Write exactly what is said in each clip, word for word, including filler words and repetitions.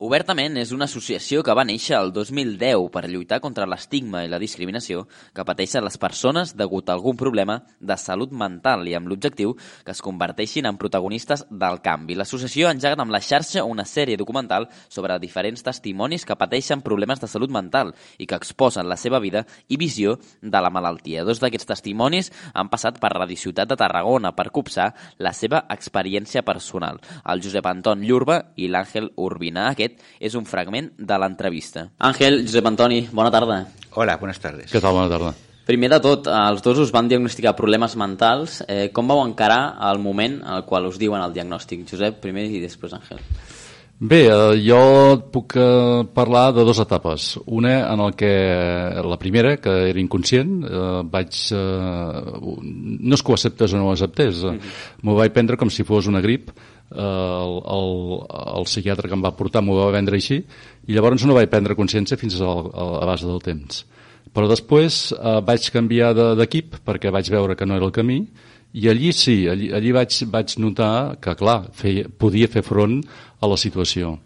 Obertament és una associació que va néixer el dos mil deu per lluitar contra l'estigma i la discriminació que pateixen les persones degut a algun problema de salut mental i amb l'objectiu que es converteixin en protagonistes del canvi. L'associació ha engegat amb la xarxa una sèrie documental sobre diferents testimonis que pateixen problemes de salut mental i que exposen la seva vida i visió de la malaltia. Dos d'aquests testimonis han passat per Radio Ciutat de Tarragona per copsar la seva experiència personal. El Josep Anton Llurba i l'Àngel Urbina. Aquest és un fragment de l'entrevista. Àngel, Josep Antoni, bona tarda. Hola, buenas tardes. Què tal, bona tarda? Primer de tot, els dos us van diagnosticar problemes mentals. Eh, com vau encarar el moment al qual us diuen el diagnòstic? Josep, primer i després Àngel. Bé, eh, jo puc eh, parlar de dues etapes. Una en el que, la primera, que era inconscient, eh, vaig... Eh, no és que ho acceptés o no ho acceptés, eh, mm-hmm. m'ho vaig prendre com si fos una grip. El, el, el psiquiatre que em va portar m'ho va vendre així i llavors no vaig prendre consciència fins al, a base del temps. Però després eh, vaig canviar d'equip perquè vaig veure que no era el camí i allí sí, allí, allí vaig, vaig notar que, clar, feia, podia fer front a la situació.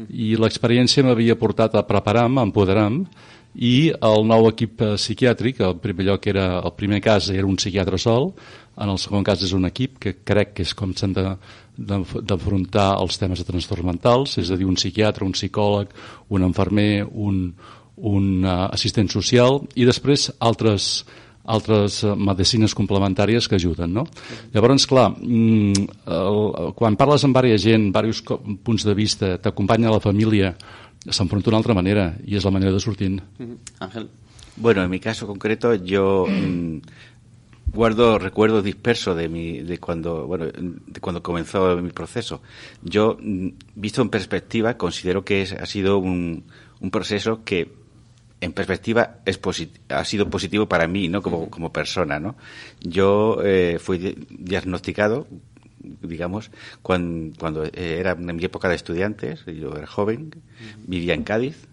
I l'experiència m'havia portat a preparar-me, a empoderar-me, i el nou equip psiquiàtric, el primer lloc era, el primer cas era un psiquiatre sol, en el segon cas és un equip que crec que és com s'han de, d'afrontar els temes de trastorns mentals, és a dir, un psiquiatre, un psicòleg, un infermer, un, un uh, assistent social i després altres, altres medicines complementàries que ajuden, no? Llavors, clar, el, quan parles amb diversa gent, diversos punts de vista, t'acompanya la família, s'enfronta d'una altra manera y es la manera de sortir. Ángel. Bueno, en mi caso concreto yo mmm, guardo recuerdos dispersos de mi de cuando bueno de cuando comenzó mi proceso. Yo mmm, visto en perspectiva considero que es, ha sido un, un proceso que en perspectiva es posit- ha sido positivo para mí, ¿no? Como como persona, ¿no? Yo eh, fui di- diagnosticado digamos, cuando, cuando era en mi época de estudiantes, yo era joven, vivía en Cádiz,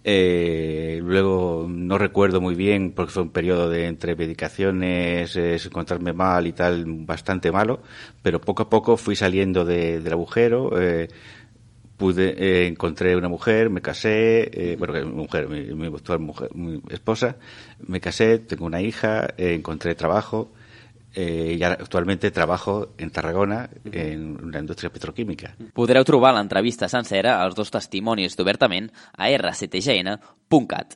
eh, luego no recuerdo muy bien porque fue un periodo de entre medicaciones, eh, encontrarme mal y tal, bastante malo, pero poco a poco fui saliendo de, del agujero, eh, pude eh, encontré una mujer, me casé, eh, bueno, mi mujer, mi, mi actual mujer, mi esposa, me casé, tengo una hija, eh, encontré trabajo. Eh, i ara actualment trabajo en Tarragona en una indústria petroquímica. Podreu trobar l'entrevista sencera als dos testimonis d'Obertament a erre ce te ge ene punt cat.